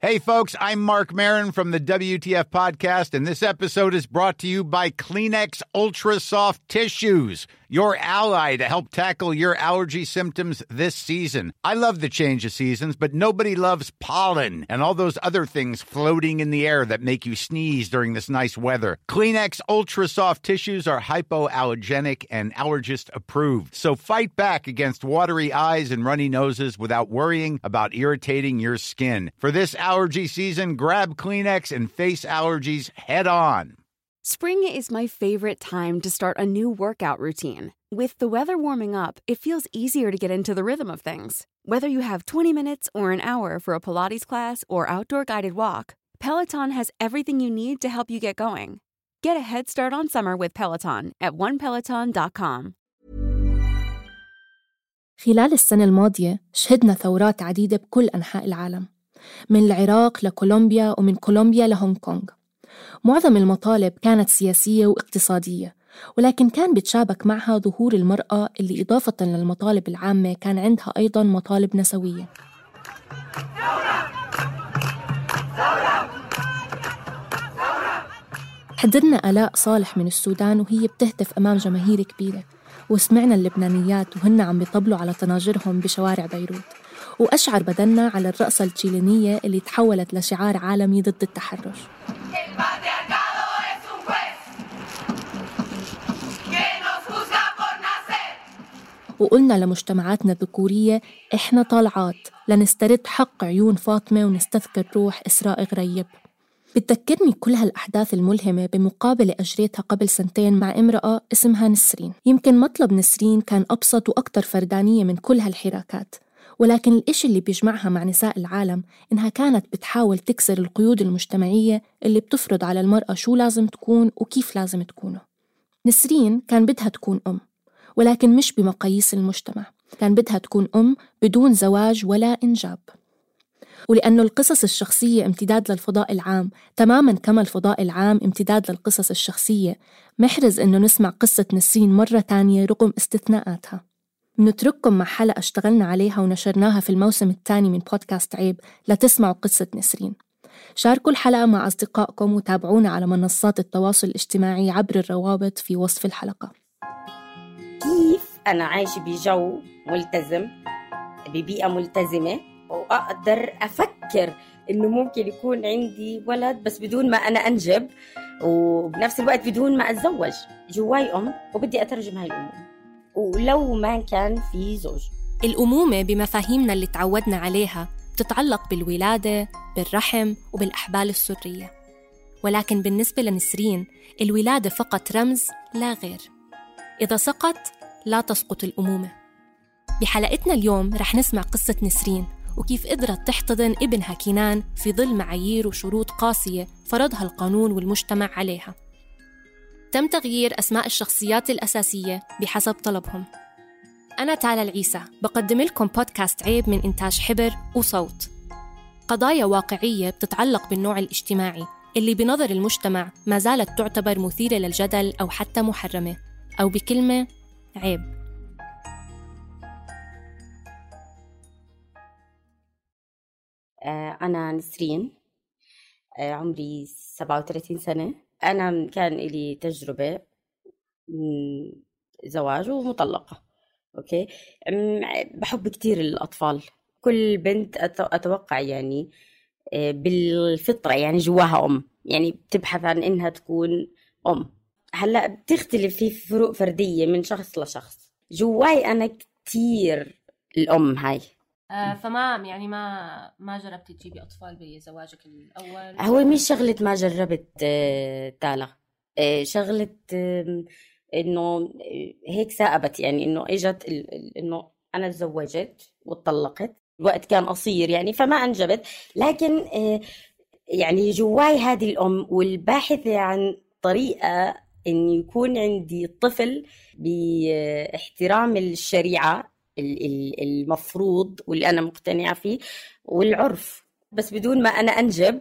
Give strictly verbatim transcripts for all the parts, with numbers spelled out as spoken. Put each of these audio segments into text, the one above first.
Hey folks, I'm Mark Maron from the W T F podcast, and this episode is brought to you by Kleenex Ultra Soft Tissues, your ally to help tackle your allergy symptoms this season. I love the change of seasons, but nobody loves pollen and all those other things floating in the air that make you sneeze during this nice weather. Kleenex Ultra Soft Tissues are hypoallergenic and allergist approved, so fight back against watery eyes and runny noses without worrying about irritating your skin. For this allergy season, grab Kleenex and face allergies head on. Spring is my favorite time to start a new workout routine. With the weather warming up, it feels easier to get into the rhythm of things. Whether you have twenty minutes or an hour for a Pilates class or outdoor guided walk, Peloton has everything you need to help you get going. Get a head start on summer with Peloton at one peloton dot com. خلال السنة الماضية شهدنا ثورات عديدة بكل أنحاء العالم، من العراق لكولومبيا ومن كولومبيا لهونغ كونغ. معظم المطالب كانت سياسية واقتصادية، ولكن كان بتشابك معها ظهور المرأة اللي إضافة للمطالب العامة كان عندها أيضاً مطالب نسوية. حضرنا آلاء صالح من السودان وهي بتهتف أمام جماهير كبيرة، وسمعنا اللبنانيات وهن عم بيطبلوا على طناجرهم بشوارع بيروت، وأشعر بدنا على الرقصة التشيلينية اللي تحولت لشعار عالمي ضد التحرش. وقلنا لمجتمعاتنا الذكورية إحنا طالعات لنسترد حق عيون فاطمة ونستذكر روح إسراء غريب. بتذكرني كل هالأحداث الملهمة بمقابلة أجريتها قبل سنتين مع امرأة اسمها نسرين. يمكن مطلب نسرين كان أبسط وأكثر فردانية من كل هالحراكات، ولكن الإشي اللي بيجمعها مع نساء العالم إنها كانت بتحاول تكسر القيود المجتمعية اللي بتفرض على المرأة شو لازم تكون وكيف لازم تكونه. نسرين كان بدها تكون أم، ولكن مش بمقاييس المجتمع، كان بدها تكون أم بدون زواج ولا إنجاب. ولأنه القصص الشخصية امتداد للفضاء العام تماماً كما الفضاء العام امتداد للقصص الشخصية، محرز إنه نسمع قصة نسرين مرة تانية رغم استثناءاتها. نترككم مع حلقة اشتغلنا عليها ونشرناها في الموسم الثاني من بودكاست عيب لتسمعوا قصة نسرين. شاركوا الحلقة مع أصدقائكم وتابعونا على منصات التواصل الاجتماعي عبر الروابط في وصف الحلقة. كيف أنا عايش بجو ملتزم ببيئة ملتزمة وأقدر أفكر إنه ممكن يكون عندي ولد بس بدون ما أنا أنجب، وبنفس الوقت بدون ما أتزوج. جواي أم وبدي أترجم هاي الأمومة ولو ما كان في زوج. الأمومة بمفاهيمنا اللي تعودنا عليها بتتعلق بالولادة، بالرحم وبالأحبال السرية، ولكن بالنسبة لنسرين الولادة فقط رمز لا غير. إذا سقط لا تسقط الأمومة. بحلقتنا اليوم رح نسمع قصة نسرين وكيف قدرت تحتضن ابنها كنان في ظل معايير وشروط قاسية فرضها القانون والمجتمع عليها. تم تغيير أسماء الشخصيات الأساسية بحسب طلبهم. أنا تالا العيسى بقدم لكم بودكاست عيب من إنتاج حبر وصوت. قضايا واقعية بتتعلق بالنوع الاجتماعي اللي بنظر المجتمع ما زالت تعتبر مثيرة للجدل أو حتى محرمة، أو بكلمة عيب. أنا نسرين، عمري سبعة وثلاثين سنة. أنا كان لي تجربة زواج ومطلقة. أوكي، بحب كتير الأطفال. كل بنت أتوقع يعني بالفطرة يعني جواها أم، يعني بتبحث عن إنها تكون أم. هلأ بتختلف في فروق فردية من شخص لشخص. جواي أنا كتير الأم هاي. آه فما يعني ما ما جربتي تجيبي أطفال بزواجك الأول؟ هو مش شغلة ما جربت آه تالا، آه شغلة آه إنه هيك ثابت، يعني إنه إجت إنه أنا تزوجت واتطلقت، الوقت كان قصير يعني فما أنجبت، لكن آه يعني جواي هذه الأم والباحثة عن طريقة إن يكون عندي طفل باحترام الشريعة المفروض واللي أنا مقتنعة فيه والعرف، بس بدون ما أنا أنجب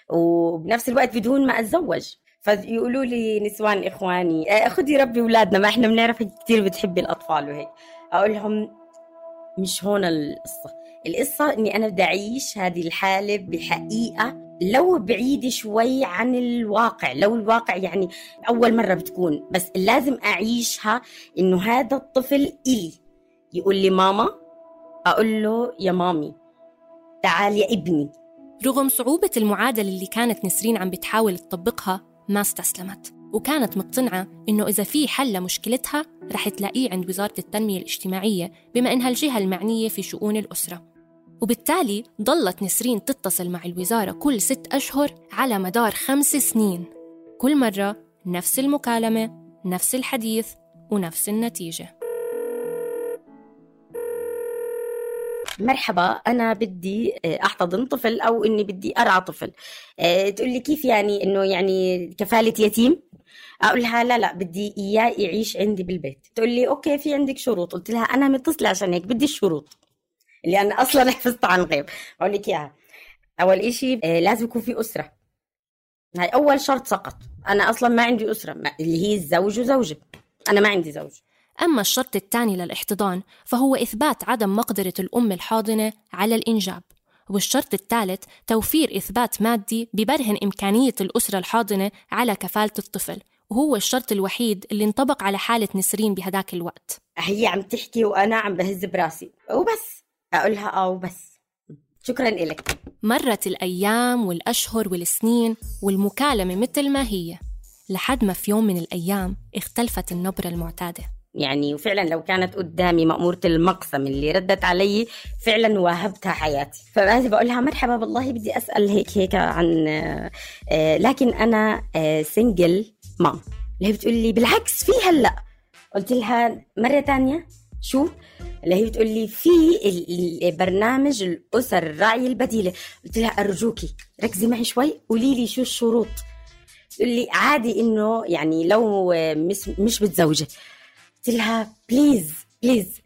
وبنفس الوقت بدون ما أتزوج. فيقولوا لي نسوان إخواني خدي ربي أولادنا، ما إحنا بنعرف كتير بتحبي الأطفال وهيك. أقول لهم مش هون القصة، القصة إني أنا بدي أعيش هذه الحالة بحقيقة، لو بعيد شوي عن الواقع، لو الواقع يعني أول مرة بتكون، بس لازم أعيشها إنه هذا الطفل إلي يقول لي ماما، أقول له يا مامي تعال يا ابني. رغم صعوبة المعادلة اللي كانت نسرين عم بتحاول تطبقها ما استسلمت، وكانت مقتنعة إنه إذا في حل لمشكلتها رح تلاقيه عند وزارة التنمية الاجتماعية بما إنها الجهة المعنية في شؤون الأسرة. وبالتالي ضلت نسرين تتصل مع الوزارة كل ست أشهر على مدار خمس سنين، كل مرة نفس المكالمة، نفس الحديث، ونفس النتيجة. مرحبا، أنا بدي أحتضن طفل أو إني بدي أرعى طفل. أه تقول لي كيف يعني إنه يعني كفالة يتيم؟ أقول لها لا لا بدي إياه يعيش عندي بالبيت. تقول لي أوكي في عندك شروط؟ قلت لها أنا متصلة عشان هيك بدي الشروط اللي أنا أصلاً حفظت عن غيب. أقول لك إياها. أول إشي أه لازم يكون في أسرة، هاي أول شرط سقط. أنا أصلاً ما عندي أسرة اللي هي الزوج وزوجة، أنا ما عندي زوج. أما الشرط الثاني للاحتضان فهو إثبات عدم مقدرة الأم الحاضنة على الإنجاب، والشرط الثالث توفير إثبات مادي ببرهن إمكانية الأسرة الحاضنة على كفالة الطفل، وهو الشرط الوحيد اللي انطبق على حالة نسرين بهداك الوقت. هي عم تحكي وأنا عم بهز براسي وبس أقولها آه وبس، شكراً إلك. مرت الأيام والأشهر والسنين والمكالمة مثل ما هي، لحد ما في يوم من الأيام اختلفت النبرة المعتادة. يعني وفعلا لو كانت قدامي مأمورة المقسم اللي ردت علي فعلا واهبتها حياتي. فبعدي بقولها مرحبا بالله بدي أسأل هيك هيك عن آه لكن أنا آه سنجل مام. اللي هي بتقول لي بالعكس في هلأ. قلت لها مرة تانية شو؟ اللي هي بتقول لي في برنامج الأسر الراعية البديلة. قلت لها أرجوكي ركزي معي شوي قولي لي شو الشروط. تقول لي عادي إنه يعني لو مش, مش بتزوجي. قلت لها بليز بليز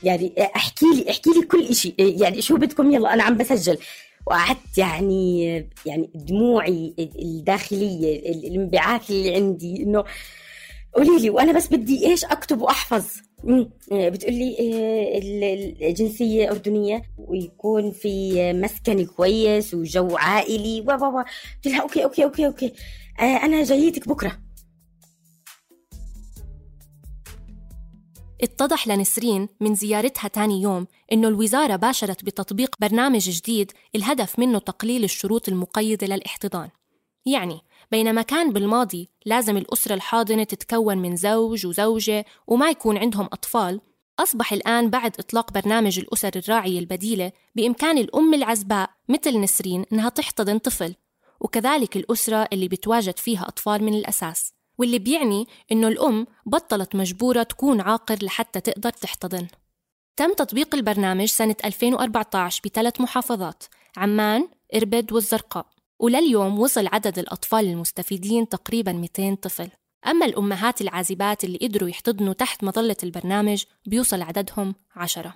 يعني احكي لي احكي لي كل إشي، يعني شو بدكم يلا أنا عم بسجل. وقعدت يعني يعني دموعي الداخلية الانبعاث اللي عندي إنه قولي لي وأنا بس بدي إيش أكتب وأحفظ. بتقول لي الجنسية أردنية ويكون في مسكن كويس وجو عائلي و و و. قلت لها أوكي أوكي أوكي أوكي أنا جايتك بكرة. اتضح لنسرين من زيارتها تاني يوم إنه الوزارة باشرت بتطبيق برنامج جديد الهدف منه تقليل الشروط المقيدة للاحتضان. يعني بينما كان بالماضي لازم الأسرة الحاضنة تتكون من زوج وزوجة وما يكون عندهم أطفال، أصبح الآن بعد إطلاق برنامج الأسر الراعية البديلة بإمكان الأم العزباء مثل نسرين إنها تحتضن طفل، وكذلك الأسرة اللي بتواجد فيها أطفال من الأساس، واللي بيعني إنه الأم بطلت مجبورة تكون عاقر لحتى تقدر تحتضن. تم تطبيق البرنامج سنة ألفين وأربعة عشر بثلاث محافظات: عمان، إربد والزرقاء، ولليوم وصل عدد الأطفال المستفيدين تقريباً مئتين طفل. أما الأمهات العازبات اللي قدروا يحتضنوا تحت مظلة البرنامج بيوصل عددهم عشرة.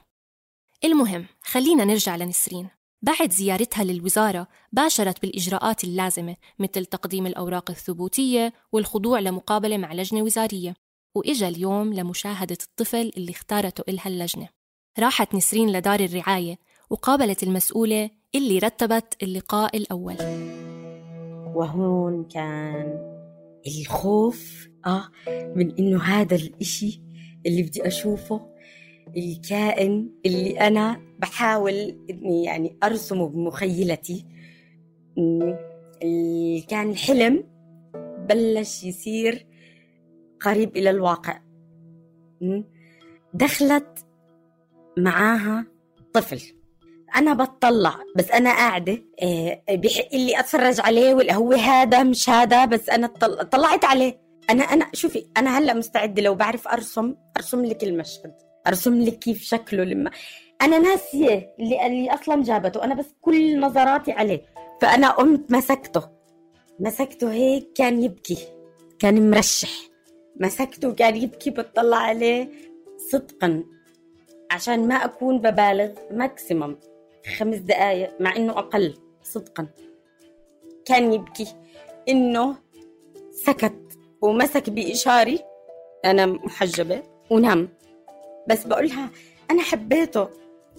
المهم خلينا نرجع لنسرين. بعد زيارتها للوزارة باشرت بالإجراءات اللازمة مثل تقديم الأوراق الثبوتية والخضوع لمقابلة مع لجنة وزارية، وإجا اليوم لمشاهدة الطفل اللي اختارته إلها اللجنة. راحت نسرين لدار الرعاية وقابلت المسؤولة اللي رتبت اللقاء الأول. وهون كان الخوف آه من إنه هذا الإشي اللي بدي أشوفه، الكائن اللي أنا بحاول إني يعني أرسمه بمخيلتي، اللي كان الحلم بلش يصير قريب إلى الواقع. دخلت معاها طفل، أنا بتطلع بس أنا قاعدة بحق اللي أتفرج عليه ولا هو هذا مش هذا، بس أنا طلعت عليه. أنا أنا شوفي أنا هلأ مستعدة لو بعرف أرسم أرسم لك المشهد، أرسم لك كيف شكله. لما أنا ناسية اللي, اللي أصلا جابته، أنا بس كل نظراتي عليه. فأنا قمت مسكته مسكته هيك كان يبكي، كان مرشح، مسكته كان يبكي، بتطلع عليه صدقا عشان ما أكون ببالغ ماكسيمم خمس دقايق، مع إنه أقل صدقا كان يبكي. إنه سكت ومسك بإشاري، أنا محجبة ونام. بس بقولها أنا حبيته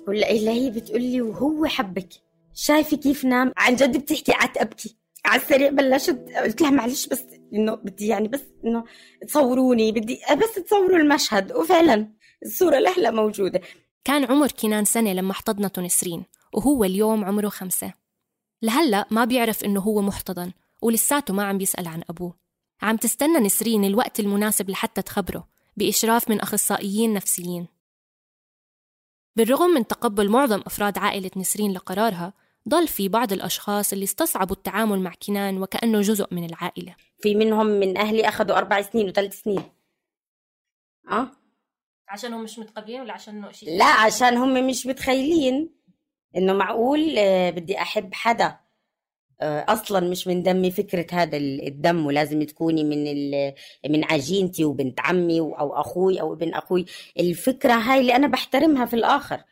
ولا إلا هي بتقولي وهو حبك، شايفة كيف نام؟ عن جد بتحكي قعدت أبكي على السريع. بلشت قلت لها معلش بس إنه بدي يعني بس إنه تصوروني، بدي بس تصوروا المشهد. وفعلا الصورة لهلا موجودة. كان عمر كنان سنة لما احتضنته نسرين، وهو اليوم عمره خمسة. لهلأ ما بيعرف إنه هو محتضن، ولساته ما عم بيسأل عن أبوه. عم تستنى نسرين الوقت المناسب لحتى تخبره بإشراف من أخصائيين نفسيين. بالرغم من تقبل معظم أفراد عائلة نسرين لقرارها، ضل في بعض الأشخاص اللي استصعبوا التعامل مع كنان وكأنه جزء من العائلة. في منهم من أهلي أخذوا أربع سنين وثلاث سنين. أه عشانهم مش متقبلين ولا عشان شيء؟ لا، عشان هم مش متخيلين إنه معقول بدي أحب حدا أصلاً مش من دمي. فكرة هذا الدم ولازم تكوني من من عجينتي وبنت عمي أو أخوي أو ابن أخوي. الفكرة هاي اللي أنا بحترمها في الآخر.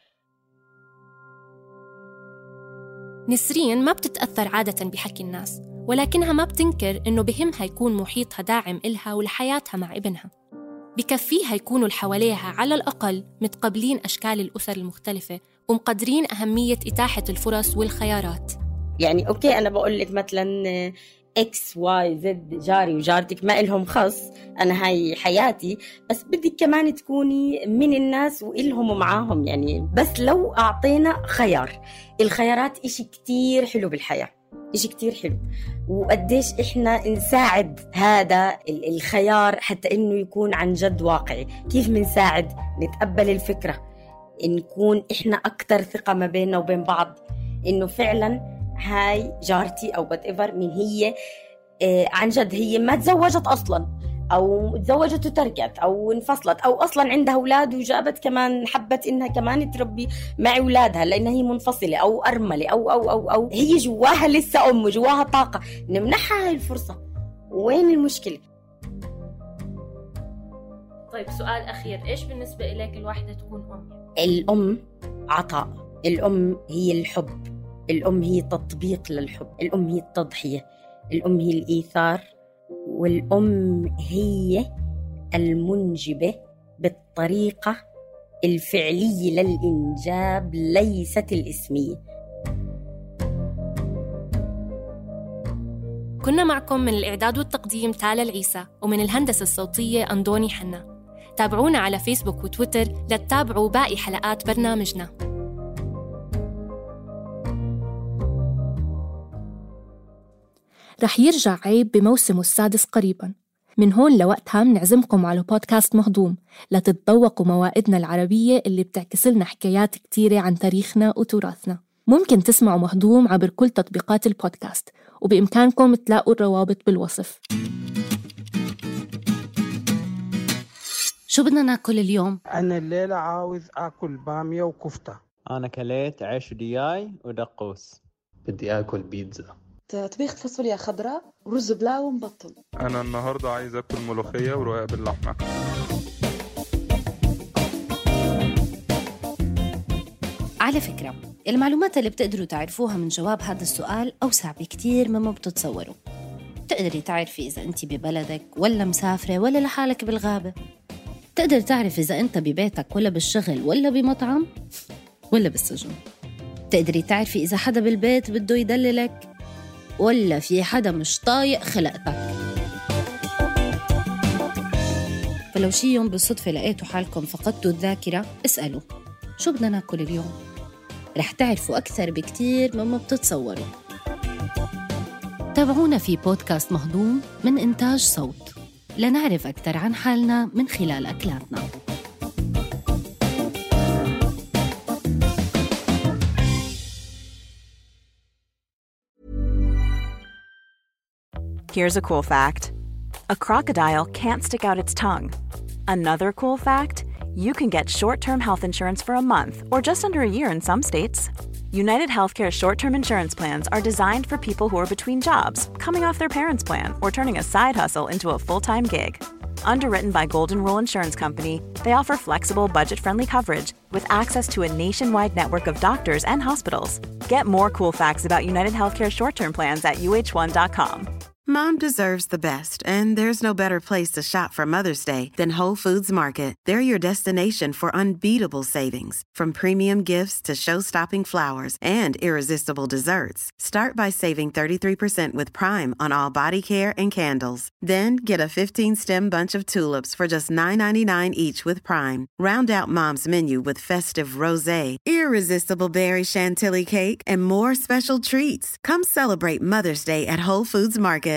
نسرين ما بتتأثر عادة بحكي الناس، ولكنها ما بتنكر إنه بهمها يكون محيطها داعم إلها ولحياتها مع ابنها. بكفيها يكونوا الحواليها على الأقل متقبلين أشكال الأسر المختلفة ومقدرين أهمية إتاحة الفرص والخيارات. يعني أوكي أنا بقول لك مثلاً إكس واي زد جاري وجارتك ما إلهم خص، أنا هاي حياتي، بس بدك كمان تكوني من الناس وإلهم ومعاهم. يعني بس لو أعطينا خيار، الخيارات إشي كتير حلو بالحياة، إشي كتير حلو. وقديش إحنا نساعد هذا الخيار حتى إنه يكون عن جد واقعي. كيف منساعد؟ نتقبل الفكرة، نكون إحنا أكتر ثقة ما بيننا وبين بعض إنه فعلاً هاي جارتي أو whatever من هي آه عن جد هي ما تزوجت أصلاً أو تزوجت وتركت أو انفصلت أو أصلاً عندها أولاد وجابت كمان حبت إنها كمان تربي مع أولادها لأنها هي منفصلة أو أرملة أو أو أو أو هي جواها لسه أم وجواها طاقة. نمنحها هاي الفرصة. وين المشكلة؟ طيب سؤال أخير، إيش بالنسبة إليك الواحدة تكون أم؟ الأم عطاء، الأم هي الحب، الأم هي تطبيق للحب، الأم هي التضحية، الأم هي الإيثار، والأم هي المنجبة بالطريقة الفعلية للإنجاب ليست الإسمية. كنا معكم من الإعداد والتقديم تالا العيسى، ومن الهندسة الصوتية أندوني حنا. تابعونا على فيسبوك وتويتر لتتابعوا باقي حلقات برنامجنا. رح يرجع عيب بموسمه السادس قريباً. من هون لوقتها منعزمكم على بودكاست مهضوم لتتذوقوا موائدنا العربية اللي بتعكس لنا حكايات كتيرة عن تاريخنا وتراثنا. ممكن تسمعوا مهضوم عبر كل تطبيقات البودكاست، وبإمكانكم تلاقوا الروابط بالوصف. شو بدنا ناكل اليوم؟ أنا الليلة عاوز أكل بامية وكفتة. أنا كليت عيش ودياي ودقوس. بدي أكل بيتزا. طبيخ فاصوليا خضراء ورز بلاو ومبطل. أنا النهاردة عايز أكل ملوخية ورقاق باللحمة. على فكرة، المعلومات اللي بتقدروا تعرفوها من جواب هذا السؤال أوسع بكتير مما بتتصوروا. تقدري تعرفي إذا أنت ببلدك ولا مسافرة ولا لحالك بالغابة. تقدر تعرف إذا أنت ببيتك ولا بالشغل ولا بمطعم ولا بالسجن. تقدري تعرفي إذا حدا بالبيت بده يدللك ولا في حدا مش طايق خلقتك. فلو شي يوم بالصدفة لقيتوا حالكم فقدتوا الذاكرة، اسألوا شو بدنا ناكل اليوم. رح تعرفوا أكثر بكتير مما بتتصوروا. تابعونا في بودكاست مهضوم من إنتاج صوت لنعرف أكثر عن حالنا من خلال أكلاتنا. Here's a cool fact. A crocodile can't stick out its tongue. Another cool fact, you can get short-term health insurance for a month or just under a year in some states. United Healthcare short-term insurance plans are designed for people who are between jobs, coming off their parents' plan, or turning a side hustle into a full-time gig. Underwritten by Golden Rule Insurance Company, they offer flexible, budget-friendly coverage with access to a nationwide network of doctors and hospitals. Get more cool facts about United Healthcare short-term plans at U H one dot com. Mom deserves the best, and there's no better place to shop for Mother's Day than Whole Foods Market. They're your destination for unbeatable savings, from premium gifts to show-stopping flowers and irresistible desserts. Start by saving thirty-three percent with Prime on all body care and candles. Then get a fifteen-stem bunch of tulips for just nine ninety-nine each with Prime. Round out Mom's menu with festive rosé, irresistible berry chantilly cake, and more special treats. Come celebrate Mother's Day at Whole Foods Market.